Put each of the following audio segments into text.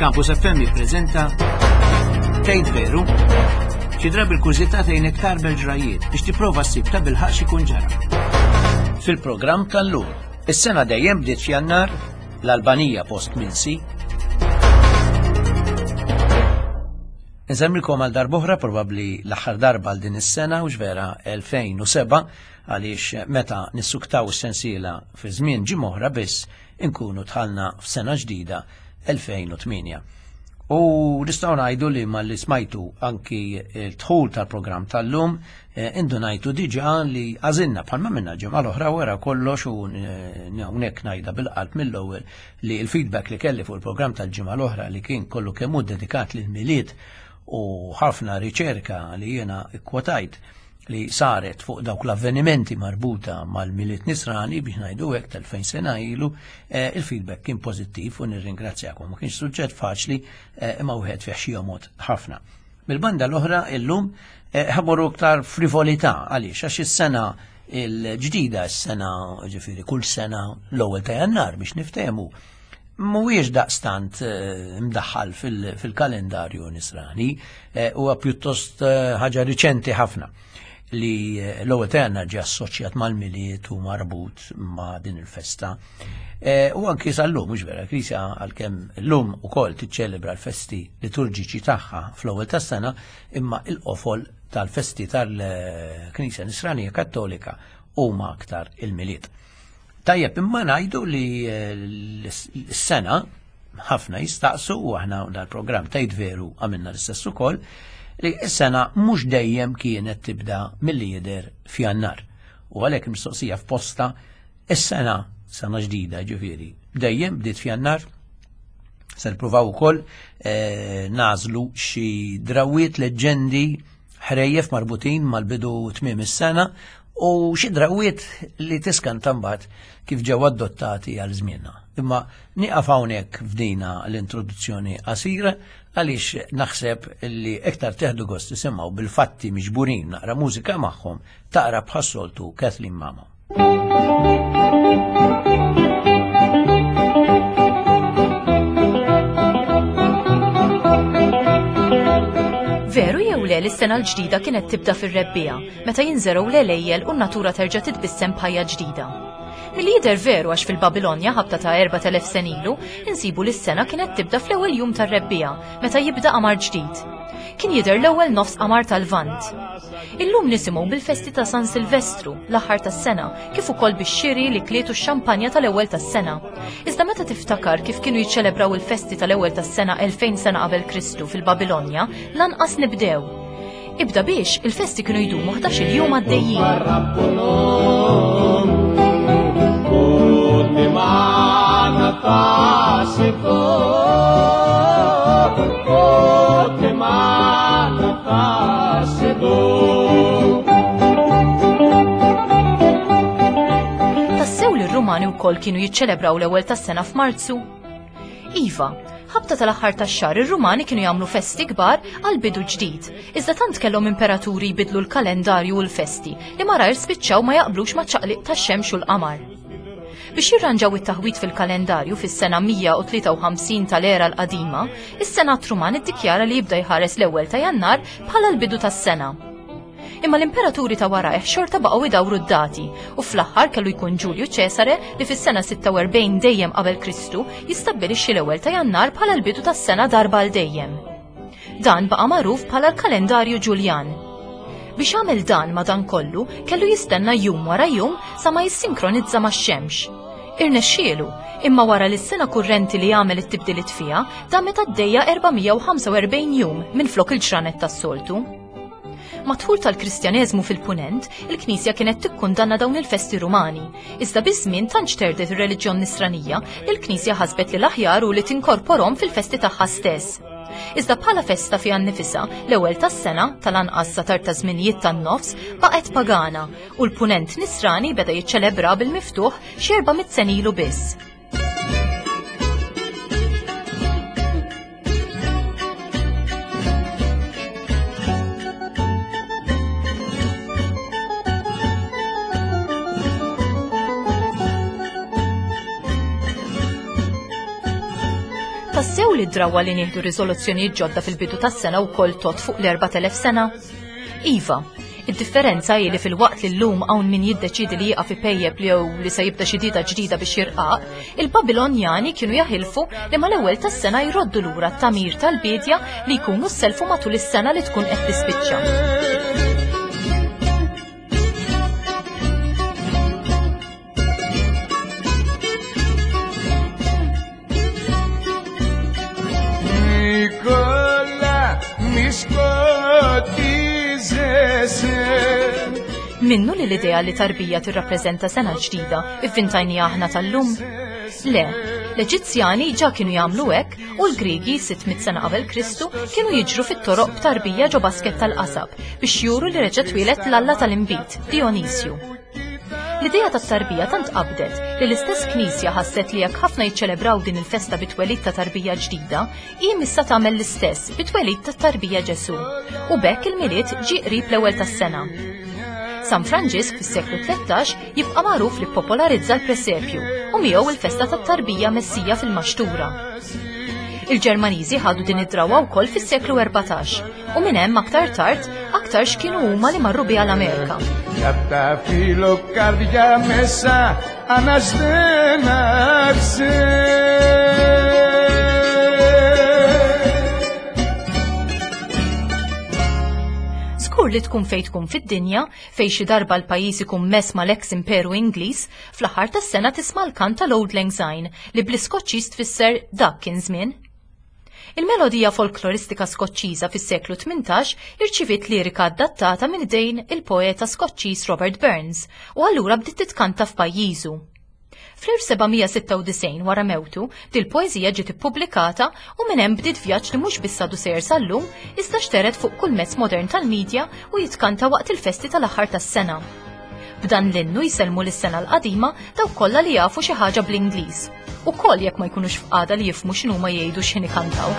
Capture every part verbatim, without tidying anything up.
Campus F M jippreżenta Tgħid Veru? Xi drabi l-kurżità tgħinek tarbel ġrajiet biex tipprova ssib ta' bilħaq x'ikun ġara. Fil-programm tal-lum, is-sena dejjem bdiet f'Jannar, l-Albanija post minsi. Nżemmilkom għal darb'oħra, probabbli l-aħħar darba għal din is-sena, u vera elfejn u sebgħa, għaliex meta nissuktaw is-sensiela fi żmien ġimgħa oħra biss inkunu dħalna f'sena ġdida elfejn u tmienja. U nistgħu ngħidu li malli smajtu anki l-dħul tal-programm tal-lum, eh, indunajtu diġà li għażilna bħalma minna ġimgħa l-oħra wara kollox, u eh, hawnhekk ngħidha bil-qalb mill-ewwel li l-feedback li kelli fuq il-programm tal-ġimgħa l-oħra, li kien kollu kemm hu dedikat lil Milied u ħafna riċerka li jiena ikkwotajt li saret fuq dawk l-avvenimenti marbuta mal-Milied Nisrani, biex ngħidu hekk, tal-fejn sena ilu, eh, il-feedback kien pożittiv u nirringrazzjakom. Ma kienx suġġett faċli, eh, imma wieħed fih xi jomgħod ħafna. Mill-banda l-oħra, illum eh, ħa mmorru aktar frivolità. Għaliex? Għax is-sena il-ġdida, s-sena, ġifieri kull sena l-ewwel ta' Jannar biex niftehmu, mhuwiex daqstant mdaħħal fil-kalendarju nisrani, huwa pjuttost ħaġa riċenti ħafna li l-ewwel ta' Jannar ġie assoċjat mal-Milied u marbut ma' din il-festa. E, u anki sal-lum, mhux vera, Knisja għalkemm llum ukoll tiċċelebra l-festi liturġiċi tagħha fl-ewwel tas-sena, imma il-qofol tal-festi tal-Knisja Nisranija Kattolika huma aktar il-Milied. Tajjeb, imma ngħidu li l-sena ħafna jistaqsu, u aħna dal-programm Tgħid Veru għamilna l-istess ukoll, li s-sena mhux dejjem kienet tibda milli jidher f'Jannar. U għalhekk mistoqsija f'posta: is-sena, sena ġdida ġifieri, dejjem bdiet f'Jannar? Se nippruvaw ukoll eh, nagħżlu xi drawiet, leġġendi, ħrejjef marbutin mal-bidu tmiem is-sena u xi drawiet li tiskanta mbagħad kif ġew adottati għal żmienna. Imma nieqaf hawnhekk f'dina l-introduzzjoni qasira, għaliex naħseb li iktar teħdu gost tisimgħu bil-fatti miġburin naqra mużika magħhom, taqra bħas-soltu Kathleen Mamo. Veru jew le li s-sena l-ġdida kienet tibda fir-rebbiegħa, meta jinżergħu l-għelejjel u n-natura terġa' titbissem b'ħajja ġdida? Milli jidher veru, għax fil-Babilonja, ħabta ta' erbat elef sena ilu, insibu li s-sena kienet tibda fl-ewwel jum tar-rebbiegħa, meta jibda qamar ġdid. Kien jidher l-ewwel nofs qamar tal-Lvant. Illum nisimgħu bil-festi ta' San Silvestru, l-aħħar tas-sena, kif ukoll bix-xiri, l-ikliet u x-xampanja tal-ewwel tas-sena. Iżda meta tiftakar kif kienu jiċċelebraw il-festi tal-ewwel tas-sena elfejn sena qabel Kristu fil-Babilonja, lanqas nibdew. Ibda biex il-festi kienu jdumu ħdax-il jum għaddejjin. Ούτε μάνα θα σε δω, ούτε μάνα θα σε δω. Tassew li r-Rumani wkoll kienu jiċċelebraw l-ewwel tas-sena f'Marzu? Iva, ħabta tal-aħħar tax-xahar ir-Rumani kienu jagħmlu festi kbar għal bidu ġdid. Iżda tant kellhom imperaturi jbidlu l-kalendarju u l-festi li malajr spiċċaw ma jaqblux ma' ċaqliq tax-xemx u l-qamar. Biex jirranġaw it-taħwit fil-kalendarju, fis-sena mija u tlieta u ħamsin tal-era l-qadima, is-Senat Ruman iddikjara li jibda jħares l-ewwel ta' Jannar bħala l-bidu tas-sena. Imma l-imperaturi ta' warajh xorta baqgħu idawru d-dati u fl-aħħar kellu jkun Ġulju Ċesare li fis-sena sitta u erbgħin dejjem qabel Kristu jistabbilixxi l-ewwel ta' Jannar bħala l-bidu tas-sena darba għal dejjem. Dan baqa' magħruf bħala l-kalendarju Ġuljan. Biex għamel dan, madankollu, kellu jistenna jum wara jum sa ma jissinkronizza max-xemx. Irnexxielu, imma wara li s-sena kurrenti li għamel it-tibdiliet fiha damet għaddejja erba' mija u ħamsa u erbgħin jum minn flok il-ġranet tas-soltu. Mad-dħul tal-Kristjaneżmu fil-Punent, il-Knisja kienet tikkundanna dawn il-festi Rumani. Iżda biż-żmien tant xterdet ir-reliġjon Nisranija li l-Knisja ħasbet li l-aħjar hu li tinkorporhom fil-festi tagħha stess. Iżda bħala festa fiha nnifisha, l-ewwel tas-sena, tal-anqas sa tard ta' żminijiet tan-nofs, baqgħet pagana u l-Punent Nisrani beda jiċċelebra bil-miftuħ xi erba' mitt sena ilu biss. Tassew li d-drawwa li nieħdu riżoluzzjonijiet ġodda fil-bidu tas-sena wkoll tgħodd fuq l-erbat elef sena? Iva, id-differenza hi li filwaqt li llum hawn min jiddeċiedi li jieqaf ipejjep li jew li se jibda xi dieta ġdida biex jirqaq, il-Babilonjani kienu jaħilfu li mal-ewwel tas-sena jroddu lura t-tagħmir tal-biedja li jkunu sselfu matul is-sena li tkun qed tispiċċa. Νικόλα, μη σκοτίζεσαι. Minnu li l-idea li tarbija tirrappreżenta sena ġdida ivvintajniha aħna tal-lum? Le, l-Eġizzjani ġa kienu jagħmlu hekk u l-Griegi sitt mitt sena qabel Kristu kienu jiġru fit-toroq b'tarbija ġo basket tal-qasab biex juru li reġa' twieled l-alla tal-inbid, Dionisju. L-idea tat-tarbija tant qabdet li l-istess knisja ħasset li jekk ħafna jiċċelebraw din il-festa bit-twelid ta' tarbija ġdida, hi missa tagħmel l-istess bit-twelid tat-tarbija Ġesù. U b'hekk il-Milied ġie qrib l-ewwel tas-sena. San Franġisk fis-seklu tlettax jibqa' magħruf li ppopolarizza l-presepju u miegħu il-festa tat-tarbija Messija fil-Maxtura. Il-Ġermaniżi ħadu din id-drawwa wkoll fis-seklu erbatax u minn hemm aktar tard aktarx kienu huma li marru biha l-Amerika. Για τα φιλοκάρδια μέσα αναστέναξε. Żgur li tkun fejn tkun fid-dinja, fejn xi darba l-pajjiż ikun mess mal-ex Imperu Ingliż, fl-aħħar tas-sena tisma' l-kant tal-Auld Lang Syne li bl-Iskoċċiż tfisser dak kien żmien. Il-melodija folkloristika Skoċċiża fis-seklu tmintax irċiviet lirika adattata minn idejn il-poeta Skoċċiż Robert Burns u allura bdiet titkanta f'pajjiżu. Fl-elf seba' mija sitta u disgħin wara mewtu, dil-poeżija ġiet ippubblikata u minn hemm bdiet vjaġġ li mhux biss għadu sejjer sal-lum, iżda xteret fuq kull mezz modern tal-medja u jitkanta waqt il-festi tal-aħħar tas-sena. B'dan l-innu jsellmu lis-sena l-qadima dawk kollha li jafu xi ħaġa bl-Ingliż. Ukoll jekk ma jkunux f'qagħda li jifhmu x'inhuma jgħidu x'ħin ikantaw.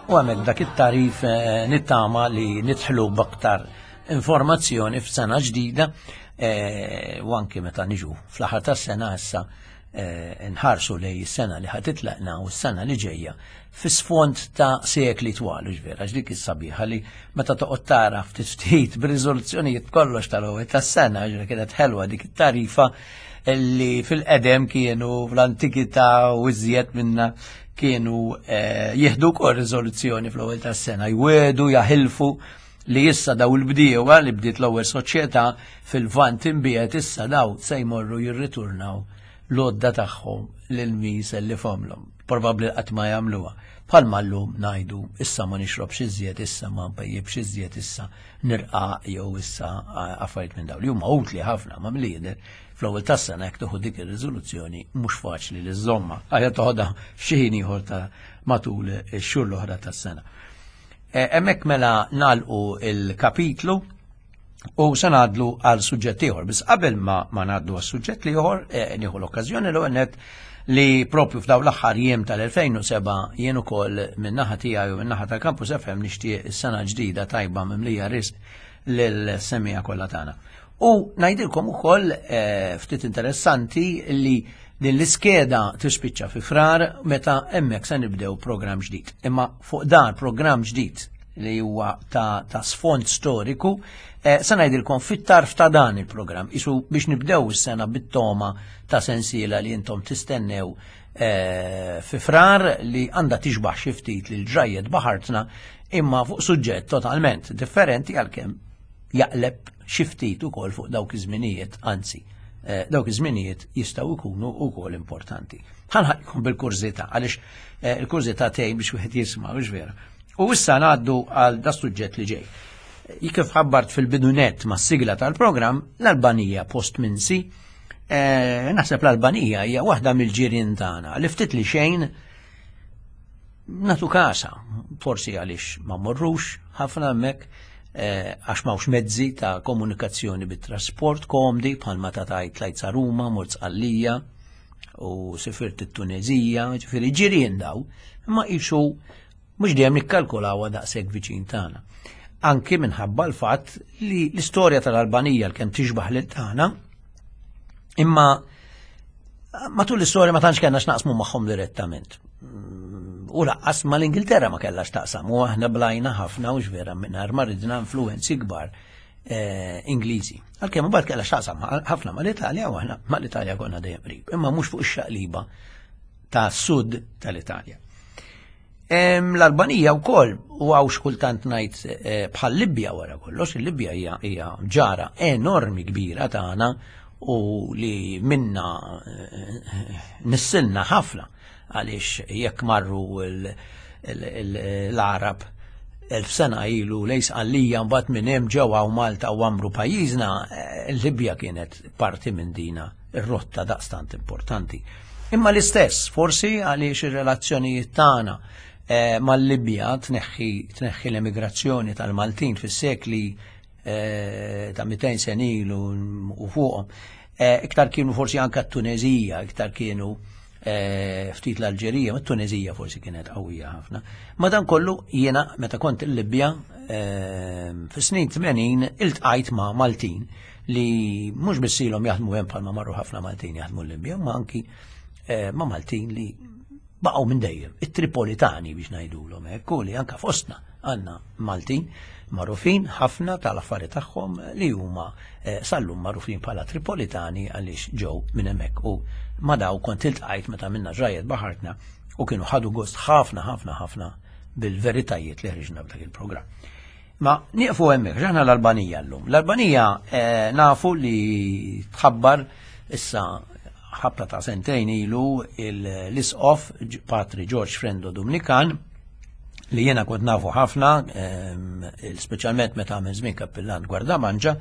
U għamek dak it-tarif, eh, nittama li nidħlu b'aktar informazzjoni f'sena ġdida, eh, u anki meta niġu fl-aħħar tas-sena issa, eh, nħarsu lej is-sena li ħatitlaqna u s-sena li ġejja fi sfond ta' sekli twal, u ġvera, għax dik is-sabiħa li meta toqgħod tara ftit ftit b'riżoluzzjonijiet kollox tal-ewwel tas-sena, ġvera kienet ħelwa dik it-tarifa, li fil-qedem kienu fl-antikità u iżjed minna kienu eh, jieħdu wkoll riżoluzzjoni fl-ewwel tas-sena, jwedu, jaħilfu li issa daw il-bdiewa li bdiet l-ewwel soċjetà fil-Lvant imbiegħed issa daw se jmorru jirriturnaw l-għodda tagħhom lil min sellifhomlhom. Probabbli qatt ma jagħmluha. Bħalma llum ngħidu issa ma nixrobx iżjed, issa ma npejjibx iżjed, issa nirqaq jew issa affarijiet minn dawn li huma utli ħafna ma milli jidher fl-ewwel tas-sena jekk tieħu dik ir-riżoluzzjoni mhux faċli li żżommha. Aħjar toħodha f'xi ħin ieħor ta' matul ix-xhur l-oħra tas-sena. Hemmhekk mela nagħlqu il-kapitlu u se ngħaddu għal suġġett ieħor. Biss qabel ma ma ngħaddu għal suġġett ieħor, nieħu l-okkażjoni l net li propju f'daw l-aħħar jiem tal-elfejn u seba' jien ukoll min-naħa tiegħi u min-naħa tal-Campus F M nixtieq is-sena ġdida tajba mimlija risq lil-semmiegħa kollha tagħna. U ngħidilkom ukoll ftit interessanti li din l-iskeda tispiċċa fi Frar meta hemmhekk se nibdew programm ġdid. Imma fuq dan programm ġdid li huwa ta', ta sfond storiku, eh, se ngħidilkom fit-tarf ta' dan il-programm, isu biex nibdew is-sena bit-toma ta' sensiela li intom tistennew eh, fi Frar li għandha tixbaħ xi ftit lil ġrajjet baħartna imma fuq suġġett totalment differenti għalkemm jaqleb xi ftit ukoll fuq dawk iż-żminijiet, anzi, eh, dawk iż-żminijiet jistgħu jkunu wkoll importanti. Ħanħallikom bil-kurżità għaliex eh, il-kurżità tgħin biex wieħed jisma' mhux vera. U issa ngħaddu għal da suġġett li ġej. Kif ħabbart fil-bidunet ma' sigla tal-programm, l-Albanija post minsi, eh, naħseb l-Albanija hija waħda mill-ġirien tagħna li ftit li xejn natu kasa, forsi għaliex ma morrux ħafna hemmhekk, għax m'hawnx mezzi ta' komunikazzjoni bit-trasport komdi bħalma ta' tajt tlajt sa Ruma, mort Sqallija u sifirt it-Tunezija, ġifieri ġirien daw, imma qisu mhux dejjem nikkalkulawha daqshekk viċin tagħna. Anki minħabba l-fatt li l-istorja tal-Albanija l-kemm tixbaħ lil tagħna, imma matul l-istorja ma tantx kellna x'naqsmu magħhom direttament. U lanqas mal-Ingilterra ma kellha x'taqsam, u aħna blajna ħafna u vera mingħajr ma ridna influenzi kbar eh, Ingliżi. Għalkemm imbagħad kellha x'taqsam ħafna mal-Italja u aħna mal-Italja konna dejjem qrib, imma mhux fuq ix-xaqliba ta' sud tal-Italja. L-Albanija wkoll u hawn xkultant ngħid bħal Libja wara kollox, il-Libja hija hija ġara enormi kbira tagħna u li minna nissilna ħafna għaliex jekk marru l-Arab elf sena ilu lejn Sqallija mbagħad minn hemm ġew hawn Malta u għamru pajjiżna, il-Libja kienet parti minn dina ir-rotta daqstant importanti. Imma l-istess, forsi għaliex ir-relazzjonijiet tagħna mal-Libja tneħħi tneħħi l-emigrazzjoni tal-Maltin fis-sekli ta' mitejn sena ilu u fuqhom. Iktar kienu forsi anke t-Tunezija, iktar kienu ftit l-Alġerija, ma t-Tunezija forsi kienet qawwija ħafna. Madankollu jiena meta kont il-Libja fis-snin tmenin iltqajt ma' Maltin li mhux biss ilhom jaħdmu hemm bħalma marru ħafna Maltin jaħdmu l-Libja, ma anki ma' Maltin li baqgħu minn dejjem, it-Tripolitani biex ngħidulhom hekk, u li anke fostna għandna Maltin magħrufin ħafna tal-affari tagħhom li huma sal-lum magħrufin bħala Tripolitani għaliex ġew minn hemmhekk. U ma daw kont iltqajt meta minna ġrajjet baħartna u kienu ħadu gost ħafna ħafna ħafna bil-veritajiet li ħriġna b'dak il-programm. Ma nieqfu hemmhekk, ġaħna l-Albanija llum. L-Albanija nafu li tħabbar issa ħabta ta' sentejn ilu l-isqof Patri George Frendo Dumnikan li jiena kont nafu ħafna, speċjalment meta għamel żmien kappillan Gwardamanġa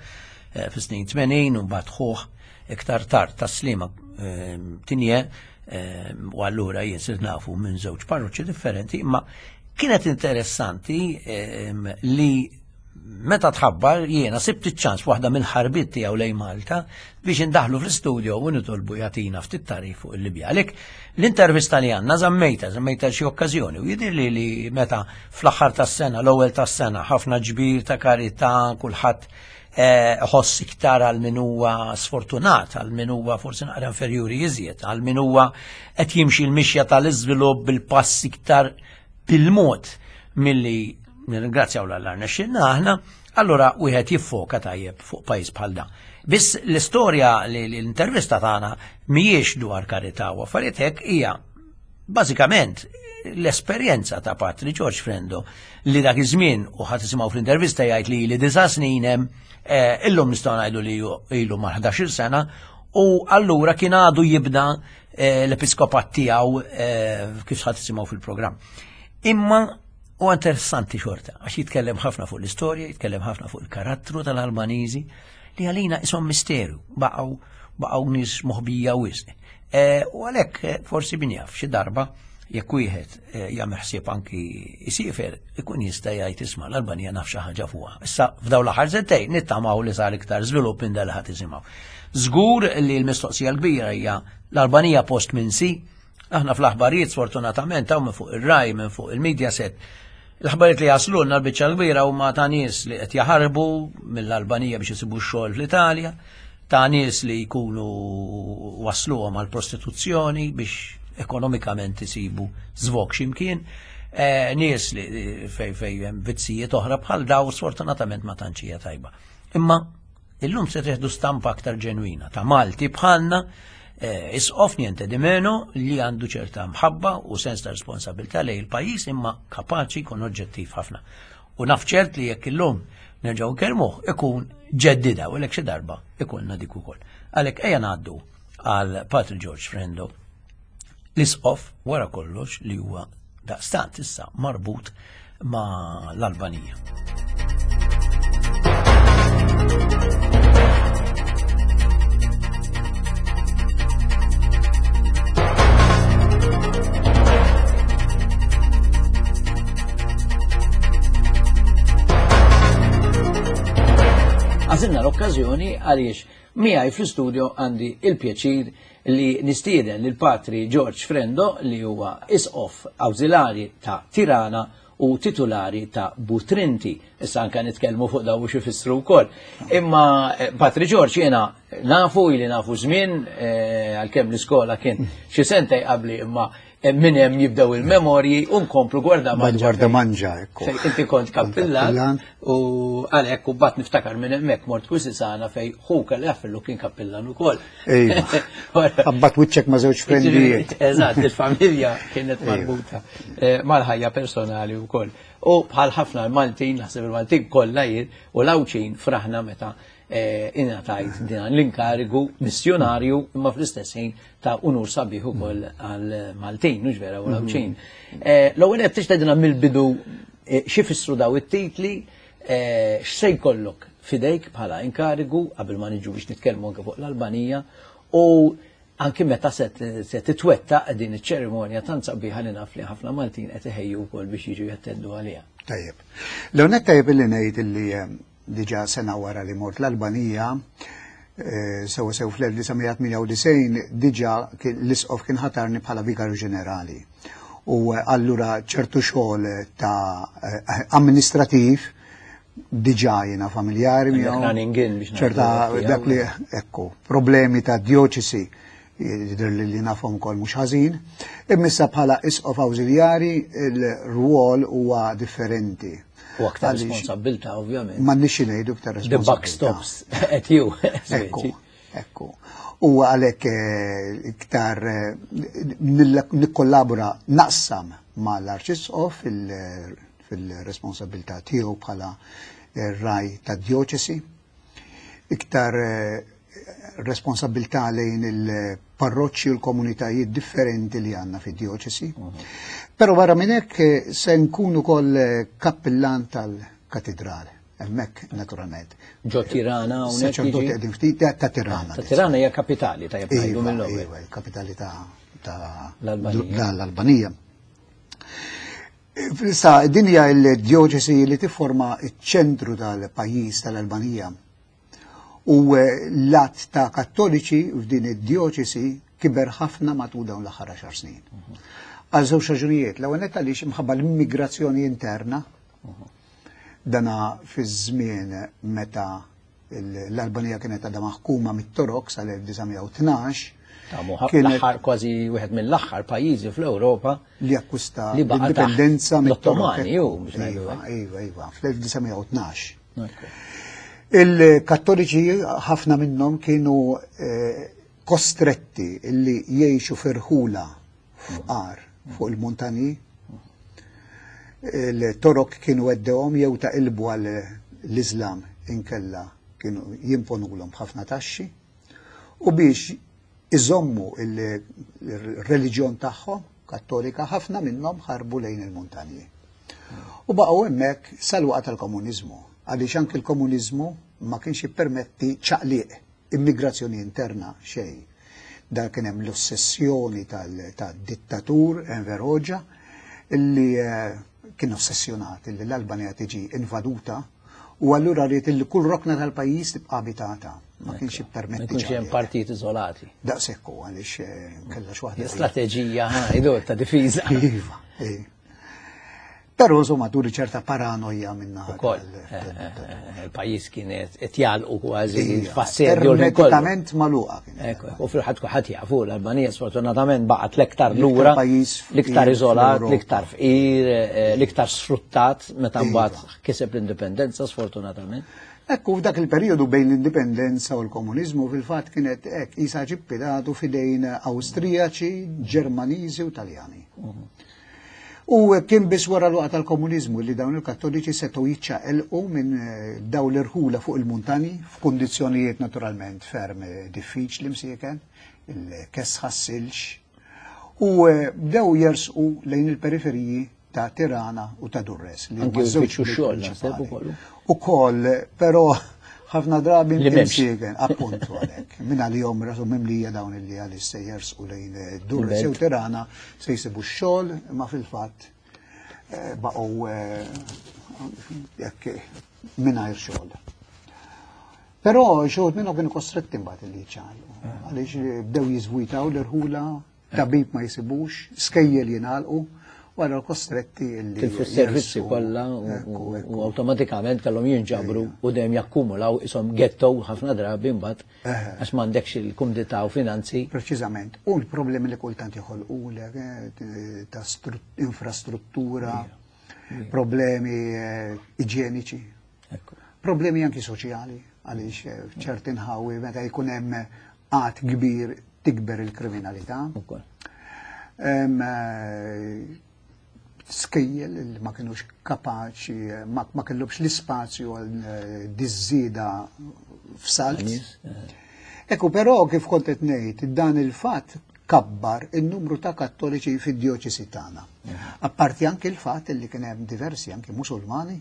fis-snin tmenin u mbagħad ħuh iktar tard tas-Sliema Tinje, u allura jien sirt nafu minn żewġ parroċċi differenti, imma kienet interessanti li meta tħabbar jiena sibt iċ-ċans waħda mill-ħarbiet tiegħu lejn Malta biex indaħlu fl-istudio u nitolbu jagħtina ftit tarif fuq il-Libja. Għalhekk l-intervista li għandna żammejta, żammejta xi okkażjoni u jidhirli li meta fl-aħħar tas-sena, l-ewwel tas-sena, ħafna ġbir ta' karità, kulħadd ħoss iktar għal min huwa sfortunat, għal min huwa forsi naqra inferjuri iżjed, għal min huwa qed jimxi l-mixja tal-iżvilupp bil-pass iktar bil-mod milli nirringrazzjaw l-Alla rnexxilna aħna, allura wieħed jiffoka tajjeb fuq pajjiż bħal dan. Biss l-istorja li l-intervista tagħna mhijiex dwar karità u affarijiet hekk, hija bażikament l-esperjenza ta' Patri George Frendo li dak iż-żmien, u ħadd isimgħu fl-intervista jgħid li li disa' snin hemm, eh, illum nistgħu ngħidu li ilu ma' ħdax-il sena, u allura kien għadu jibda eh, l-episkopat tiegħu eh, kif ħadd isimgħu fil-programm. Imma u interessanti xorta, għax jitkellem ħafna fuq l-istorja, jitkellem ħafna fuq il-karattru tal-Albaniżi, li għalina isom misteru, baqgħu baqgħu nies moħbija wisq. U għalhekk forsi min jaf xi darba jekk wieħed jagħmel ħsieb anki jsiefer ikun jista' jgħid isma' l-Albanija naf xi ħaġa fuqha. Issa f'dawn l-aħħar sentejn nittamaw li sar iktar żvilupp minn dal ħadd isimgħu. Żgur li l-mistoqsija l-kbira hija l-Albanija post minsi. Aħna fl-aħbarijiet sfortunatament hawn minn fuq ir-Rai, minn fuq il-media set. L-aħbarijiet li jaslulna l-biċċa l-kbira huma ta' nies li qed jaħarbu mill-Albanija biex isibu x-xogħol fl-Italja, ta' nies li jkunu wasluhom għal prostituzzjoni biex ekonomikament isibu żvok x'imkien, eh, nies li fej fej hemm vizzijiet oħra bħal daw sfortunatament ma tantx hija tajba. Imma illum se teħdu stampa aktar ġenwina ta' Malti bħalna, eh, isqof niente di meno li għandu ċerta mħabba u sens ta' responsabilità lejn il-pajjiż imma kapaċi jkun oġġettiv ħafna. U naf ċert li jekk illum nerġgħu nkellmuh ikun ġeddida u għalhekk xi darba ikunna dik ukoll. Għalhekk ejja ngħaddu għal Patri George Frendo, l-isqof wara kollox li huwa daqstant issa marbut ma' l-Albanija. Għażilna l-okkażjoni għaliex miegħi fl-istudio għandi il-pjaċir li nistieden lil Patri George Frendo li huwa isqof awżilari ta' Tirana u titulari ta' Butrinti. Issa anke nitkellmu fuq daw xi jfissru wkoll. Imma eh, Patri George jiena nafu ili nafu żmien, eh, għalkemm l-iskola kien xi sentej qabli, imma minn hemm jibdew il-memorji u nkomplu gwarda manġa. Gwarda manġa, ekku. Fejn inti kont kappillan u għalhekk u bat niftakar minn hemmhekk mort Kwisisana fej hu kelli jaffillu kien kappillan ukoll. Ejwa. Abbat wiċċek ma' żewġ frendijiet. Eżatt, il-familja kienet marbuta eh, mal-ħajja personali wkoll. U bħal ħafna l-Maltin, naħseb il-Maltin kollha jien u l-Għawdxin fraħna meta eh, ingħatajt din l-inkarigu missjonarju imma fl-istess ħin ta' unur sabiħ ukoll għal Maltin, mhux vera u l-Għawdxin. Eh, l-ewwel qed tixtedina mill-bidu eh, xi fissru daw it-titli, x'se jkollok fidejk bħala inkarigu qabel ma niġu biex nitkellmu anke fuq l-Albanija u anki meta se titwettaq din iċ-ċerimonja tant sabiħa li naf li ħafna Maltin qed iħejju wkoll biex jiġu jattendu għaliha. Tajjeb. L-ewwel tajjeb illi ngħid illi diġà sena wara li mort l-Albanija, sew sew fl-elf disa' mija tmienja u disgħin diġà l-isqof kien ħatarni bħala vikarju ġenerali. U allura ċertu xogħol ta' amministrativ diġà jiena familjari Għandek miegħu. running in biex ċerta ngħidu dak li, ekku, problemi ta' dioċesi jidher li li nafhom ukoll mhux ħażin. Imma bħala isqof awżiljari il-rwol huwa differenti. U aktar Għaliex responsabbiltà, ovvjament. M'għandniex ngħidu iktar The buck responsabbiltà. stops at you. Ekku, ekku. U għalhekk, eh, iktar, eh, nikkollabora naqsam mal-Arċisqof fil-, fil-responsabilità tiegħu bħala raj ta' dioċesi, iktar, eh, responsabilità lejn il-parroċċi u l-komunitajiet differenti li għandna fid-dioċesi. Però barra minn hekk, eh, se nkun ukoll, eh, kappillan tal-katedral, hemmhekk naturalment. Ġo Tirana hawnhekk Saċerdoti jiġi? qegħdin ftit ta' ta' Tirana. Ta' Tirana hija kapitali, tajjeb ngħidu Iva, mill-ewwel. iva, il-kapitali ta' ta' L-Albanija. l-Albanija. Issa, din hija l-dioċesi li tifforma ċ-ċentru tal-pajjiż tal-Albanija. U, eh, l-att ta' kattoliċi f'din id-dioċesi kiber ħafna matul dawn l-aħħar għaxar snin. Għal żewġ raġunijiet. L-ewwel nett għaliex imħabba l-immigrazzjoni interna, dana fi żmien meta l-Albanija kienet għadha maħkuma mit-Torok sal-elf disa' mija u tnax. Ta' muħab Kienet l-aħħar kważi wieħed mill-aħħar pajjiżi fl-Ewropa li akkwista li baqa' taħt l-indipendenza mit-Torok. l-Ottomani, ju, biex ngħidu Iva, hekk. iva, iva, fl-elf disa' mija u tnax. Ekku. Il-Kattoliċi ħafna minnhom kienu eh, kostretti illi jgħixu f'irħula fqar fuq il-muntanji. Il-Torok kienu għeddewhom jew taqilbu għal l-Islam inkella kienu jimponulhom ħafna taxxi u biex iżommu il-reliġjon tagħhom kattolika ħafna minnhom ħarbu lejn il-muntanji. U baqgħu hemmhekk sal-waqt tal-komuniżmu, għaliex anki l-komuniżmu ma kienx jippermetti ċaqliq, immigrazzjoni interna xejn. Dan kien hemm l-ossessjoni tad-dittatur Enver Hoxha illi eh, kien ossessjonat illi l-Albanija tiġi invaduta u allura ried illi kull rokna tal-pajjiż tibqa' abitata. Ma kienx jippermetti. Ma jkunx hemm partijiet iżolati. Daqshekk hu għaliex eh, kellha xi waħda. Strateġija ħajdu ta' difiża. Iva, eh. Però insomma turi ċerta paranoja minna. Ukoll. Il-pajjiż kienet qed jagħlqu kważi f'assedju. Ermetikament magħluqa kienet. U fil-ħadd kulħadd jafu l-Albanija sfortunatament baqgħet l-iktar lura, l-iktar iżolat, l-iktar fqir, l-iktar sfruttat meta mbagħad kiseb l-indipendenza sfortunatament. Ekku, f'dak il-periodu bejn l-indipendenza u l-komuniżmu fil-fatt kienet hekk isa ġippidatu f'idejn Awstrijaċi, Ġermaniżi u Taljani. U kien biss wara l-waqgħa tal-komuniżmu li dawn il-Kattoliċi setgħu jiċċaqilqu minn dawn l-irħula fuq il-muntani f'kundizzjonijiet naturalment ferm diffiċli msieken, il-kesħa s-silġ, u bdew jersqu lejn il-periferiji ta' Tirana u ta' Durres. Li huma żewġ xogħol naħseb ukoll. Ukoll, però ħafna drabi imsieken, appuntu għalhekk. Min għalihom rasu mimlija dawn illi għaliex se jersqu lejn Durres jew Tirana se jsibu x-xogħol, ma fil-fatt baqgħu jekk mingħajr xogħol. Però xogħol minnhom kienu kostretti mbagħad illi jiċċaqalqu. Għaliex bdew jiżvujtaw l-irħula, tabib ma jsibux, skejjel jingħalqu, wara kostretti illi. Tilfu s-servizzi kollha u awtomatikament kellhom jinġabru u dejjem jakkumulaw ishom ghetto ħafna drabi mbagħad għax m'għandekx il-kumdità u finanzi. Preċiżament. U l-problemi li kultant joħolqulek ta' infrastruttura, problemi iġjeniċi, problemi anki soċjali, għaliex f'ċerti nħawi meta jkun hemm għadd kbir tikber il-kriminalità. Skejjel li ma kienux kapaċi, ma, ma kellhomx l-ispazju għal diżżieda f'salt. Ekku, però kif kont qed ngħid, dan il-fatt kabbar il-numru ta' kattoliċi fid-djoċesi tagħna. Apparti anke il-fatt li kien hemm diversi anke Musulmani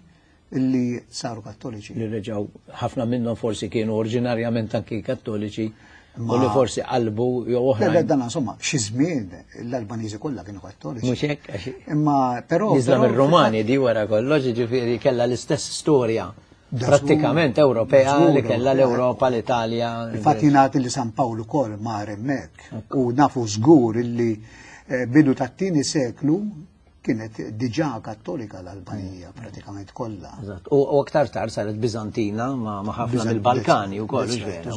illi saru kattoliċi. Li reġgħu ħafna minnhom forsi kienu oriġinarjament anki kattoliċi. U li forsi qalbu jew oħra. Le, dan insomma, xi żmien l-Albaniżi kollha kienu kattoliċi. Mhux hekk, għax Imma però L-Iżlam ir-Rumani di wara kollox, jiġifieri kellha l-istess storja prattikament Ewropea li kellha l-Ewropa, l-Italja. Il-fatt jingħad li San Pawl ukoll mar hemmhekk u nafu żgur illi bidu tat-tieni seklu kienet diġà kattolika l-Albanija pratikament kollha. Eżatt. U aktar tard saret Biżantina ma' ħafna mill-Balkani wkoll, vera.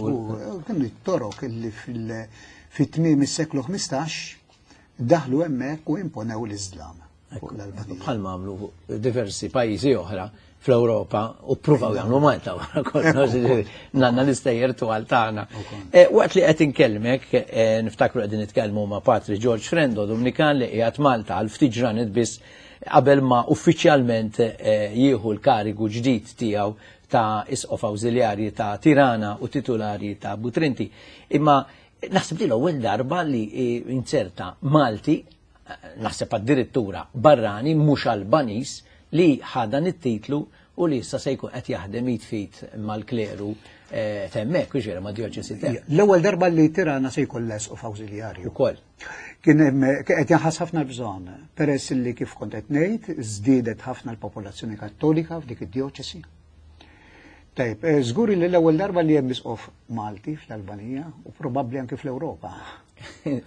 Kienu t-Torok illi fit-tmiem is-seklu ħmistax daħlu hemmhekk u imponew l-Iżlam fuq l-Albanija. Bħalma għamlu diversi pajjiżi oħra fl-Ewropa u ppruvaw jagħmlu Malta wara kollox, nanna l-istejjer twal tagħna. Waqt li qed inkellmek, niftakru qegħdin nitkellmu ma' Patri George Frendo, Dominikan li qiegħed Malta għal ftit ġranet biss qabel ma uffiċjalment jieħu l-karigu ġdid tiegħu ta' isqof awżiljarji ta' Tirana u titulari ta' Butrinti. Imma naħseb li l-ewwel darba li inserta Malti, naħseb addirittura barrani mhux Albaniż, li ħadan it-titlu u li issa se jkun qed jaħdem jitfit mal-kleru t'hemmhekk, u ġifieri ma' djoċesi t'hemm. L-ewwel darba li Tirana se jkun l-isqof awżiljarju. Ukoll. Kien hemm qed jinħass ħafna l-bżonn, peress li kif kont qed ngħid, żdiedet ħafna l-popolazzjoni kattolika f'dik id-djoċesi. Tajb, żgur li l-ewwel darba li hemm isqof Malti fl-Albanija u probabbli anke fl-Ewropa.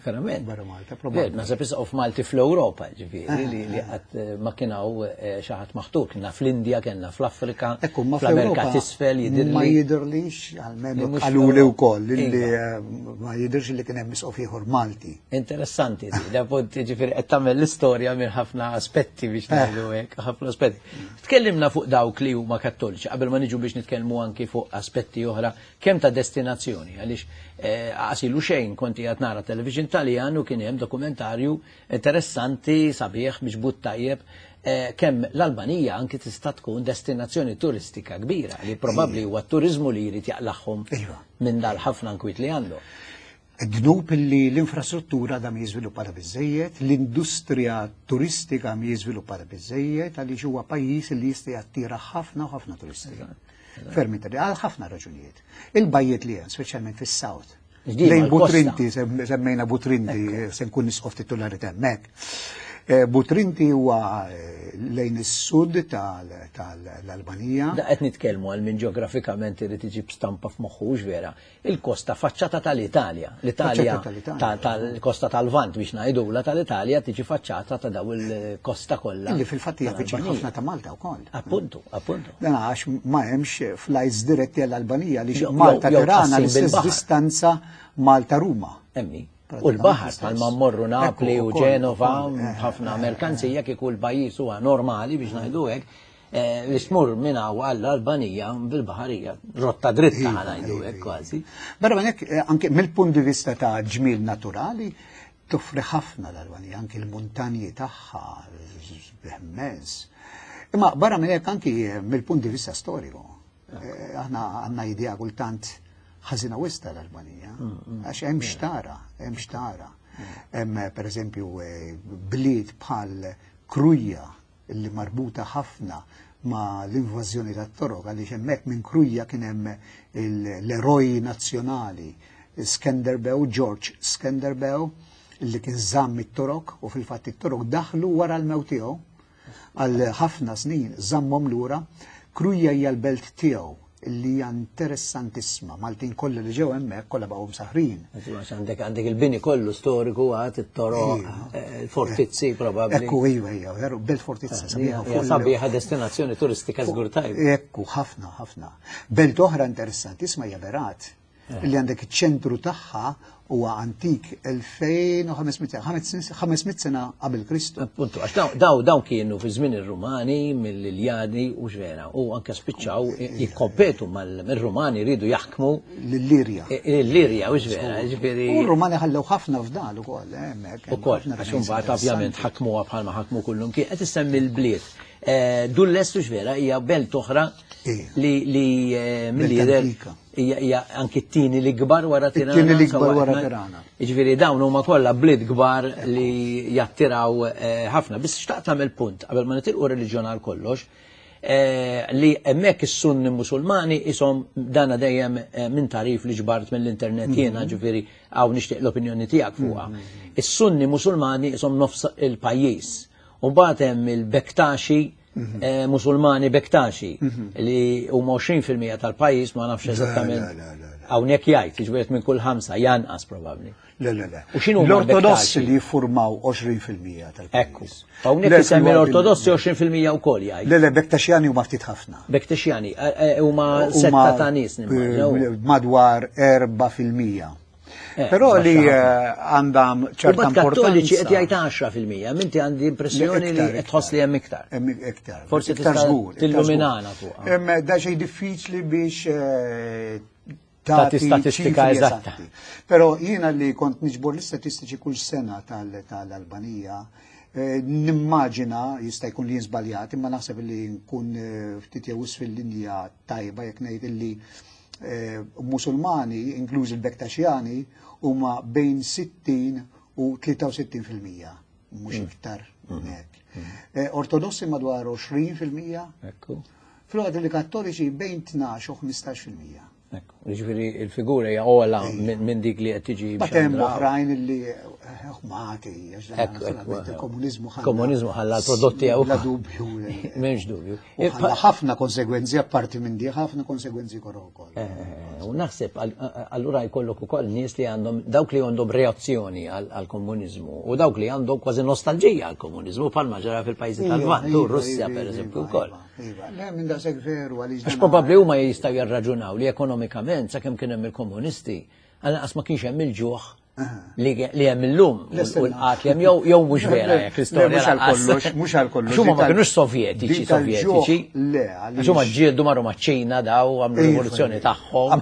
Verament. Barra Malta, probabbli. Naħseb isqof Malti fl-Ewropa, ġifieri, li li qatt eh, ma kien hawn eh, xi ħadd maħtur. Kienna fl-Indja, kellna fl-Afrika, Ekku, ma fl-Amerika fl-Ewropa t'isfel jidhirli. Ma jidhirlix, almenu Li mhux qaluli fl-Ewropa. wkoll li Iva. eh, ma jidhirx li kien hemm isqof ieħor Malti. Interessanti, di, da punt ġifieri qed tagħmel l-istorja minn ħafna aspetti biex ngħidu hekk, ħafna aspetti. Tkellimna fuq dawk li huma kattoliċi, qabel ma niġu biex nitkellmu anki fuq aspetti oħra kemm ta' destinazzjoni, għaliex eh, għasilu xejn kont qiegħed nara television Taljan u kien hemm dokumentarju interessanti, sabiħ, miġbut tajjeb, eh, kemm l-Albanija anki tista' tkun destinazzjoni turistika kbira li probabbli huwa t-turizmu li jrid jaqlaħħom Iva. minn dal-ħafna nkwiet li għandu. Dnub li l-infrastruttura da mi żviluppata biżejjed, l-industrija turistika mi żviluppata biżejjed, għaliex huwa pajjiż li jista' jattira ħafna u ħafna turisti. Ferm inter- għal ħafna raġunijiet. Il-bajjiet li hemm, speċjalment fis-South. Ġdima, Lejn l-kosta. Butrinti, sem- semmejna Butrinti, se nkun isqof titulari hemmhekk. Eh, Butrinti huwa eh, lejn is-sud tal- tal-Albanija. Da qed nitkellmu għal min ġeografikament irid iġib stampa f'moħħu hux vera. Il-kosta faċċata tal-Italja. L-Italja Faċċata tal-Italja. ta- tal-kosta tal-Lvant biex ngħidula tal-Italja tiġi faċċata ta' daw il-kosta kollha. Illi fil-fatt hija viċin tal-Albanija. ħafna ta' Malta wkoll. Appuntu, appuntu. Dan għax ma hemmx flights diretti għall-Albanija li Jew- Malta jew Tirana tqassim l-istess bil-baħar. distanza Malta Ruma. Emmi. U l-baħar bħalma mmorru Napli Ekku, u ukoll, Ġenova, ukoll, eh, ħafna merkanzija kieku l-pajjiż huwa normali biex ngħidu hekk, eh, li tmur minn hawn għall-Albanija bil-baħarija, rotta dritta Iva, ħa ngħidu iva, hekk iva. kważi. Barra minn hekk, eh, anke mill-punt di vista ta' ġmiel naturali, toffri ħafna l-Albanija, anke l-muntanji tagħha immens. Imma barra minn hekk anki eh, mill-punt di vista storiku. Eh, Aħna għandna idea kultant ħażina wisq l-Albanija, għax hemm xtara, hemm xtara. Hemm per eżempju eh, bliet bħal Kruja li marbuta ħafna ma l-invażjoni tat-Torok għaliex hemmhekk minn Kruja kien hemm il- l-eroj nazzjonali Skenderbeu, George Skenderbeu, li kien żamm it-Torok u fil-fatt it-Torok daħlu wara l-mewt tiegħu għal ħafna snin żammhom lura. Kruja hija l-belt tiegħu li hija interessantissima. Maltin kollha li ġew hemmhekk kollha baqgħu msaħrin. Għax Għandek għandek il-bini kollu storiku għad it-toroq, eh, il-fortizzi probabbli. Ekku, iva, iva, veru, belt fortizza, sabiħa Hija fuq il- sabiħa destinazzjoni turistika żgur tajba. Ekku, ħafna, ħafna. Belt oħra interessantissima hija Berat, li għandek iċ-ċentru tagħha huwa antik elfejn u ħames mitt ħames mitt sena qabel Kristu. Appuntu, għax daw- daw daw kienu fi żmien ir-Rumani mill-Iljadi u x'vera u anke spiċċaw jikkompetu mal-Rumani rridu jaħkmu L-Illirja. l-Illirja u x'vera, ġifieri U r-Rumani ħallew ħafna fdal ukoll, eh, hemmhekk. hemm ukoll, ħafna għax remains imbagħad ovvjament interessanti. ħakmuha bħalma ħakmu kullum kien qed issemmi l-bliet. Eh, Durrës vera hija belt oħra Ija. li li eh, Belt mill-lider antika. hija hija anki t-tieni li kbar wara Tirana. It-tieni li kbar sewwa wara qed Tirana. Jiġifieri dawn huma kollha bliet kbar li jattiraw eh, ħafna. Biss xtaqt tagħmel punt qabel ma nitilqu reliġjon għal kollox eh, li hemmhekk is-Sunni Musulmani isom dana dejjem eh, minn tarif li ġbart mill-internet jiena ġifieri hawn nixtieq l-opinjoni tiegħek fuqha. Is-Sunni Musulmani isom nofs il-pajjiż. U mbagħad hemm il-Bektaxi eh, Musulmani Bektaxi li huma għoxrin fil-mija tal-pajjiż, ma nafx eżattament. le, le, le, le. Hawnhekk jgħid, jiġifieri minn kull ħamsa janqas probabbli. Le, le, le. U x'inhu huma L-Ortodossi l-Bektaxi? li jiffurmaw għoxrin fil-mija Ekku. tal-pajjiż. Hawnhekk Le, isemmi fil-waqt l-Ortodossi għoxrin fil-mija wkoll jgħid. Le, le, Bektaxjani huma ftit ħafna. Bektaxjani eh, eh, huma Huma, setta ta' nies nimmaġinaw. eh, madwar erba' fil-mija. Eh, Però li baxxa eh, għandha U ċerta bad kattoliċi qed importanza. jgħid għaxra fil-mija, minti għandi impressjoni li Iktar, qed tħoss li hemm iktar. Hemm iktar. Forsi Iktar tista' żgur, iktar tilluminana żgur. fuqha. Hemm da xejn diffiċli biex eh, Tagħti tagħti statistika ċifri eżatta. eżatti. Però jiena li kont niġbor l-istatistiċi kull sena tal- tal-Albanija, eh, nimmaġina, jista' jkun li żbaljat, imma naħseb li nkun eh, ftit jew fil-linja tajba jekk ngħid illi eh, Musulmani, inkluż il-Bektaxjani, huma bejn sittin u tlieta u sittin fil-mija, mhux iktar minn hekk. Eh, Ortodossi madwar għoxrin fil-mija, Ekku. filwaqt li Kattoliċi bejn tnax u ħmistax fil-mija. Ġifieri il-figura hija ogħla minn dik li qed tiġi. Ma hemm oħrajn li ħmati, il-komuniżmu ħalla. Komuniżmu ħalla l-prodotti għaw. La dubju. M'hemmx dubju. Ħalla ħafna konsegwenzi apparti minn di, ħafna konsegwenzi korro wkoll. U naħseb allura jkollok ukoll nies li għandhom dawk li għandhom reazzjoni għall-komuniżmu u dawk li għandhom kważi nostalġija għall-komuniżmu bħalma ġara fil-pajjiżi tal-Lvant u Russja pereżempju wkoll. Iva, le minn daqshekk veru għaliex. Għax probabbli huma jistgħu jirraġunaw li ekonomikament sakemm kien hemm il-komunisti, għalqas ma kienx hemm il-ġuħ li hemm illum u l-qat li hemm jew mhux vera jekk l-istorja. Mhux għal kollox, mhux għal kollox. Huma ma kinux sovjetiċi, sovjetiċi. Le, għax huma ġġieldu marru maċ-Ċina daw għamlu rivoluzzjoni tagħhom.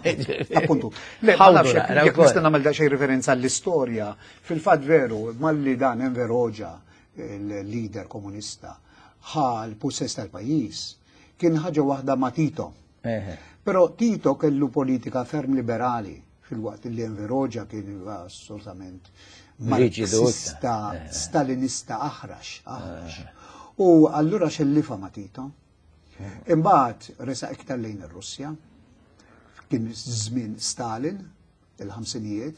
Appuntu. Le, ma nafx jekk nista' nagħmel daqsxejn referenza għall-istorja, fil-fatt veru, malli dan Enver Hoxha, il-leader komunista, ħa l-pussess tal-pajjiż, kien ħaġa waħda ma' Tito. Però Tito kellu politika ferm liberali fil-waqt li Enver Hoxha kien assolutament marxista, stalinista aħrax, aħrax. U allura xellifa ma' Tito. Imbagħad resaq iktar lejn ir-Russja, kien żmien Stalin, il-ħamsinijiet,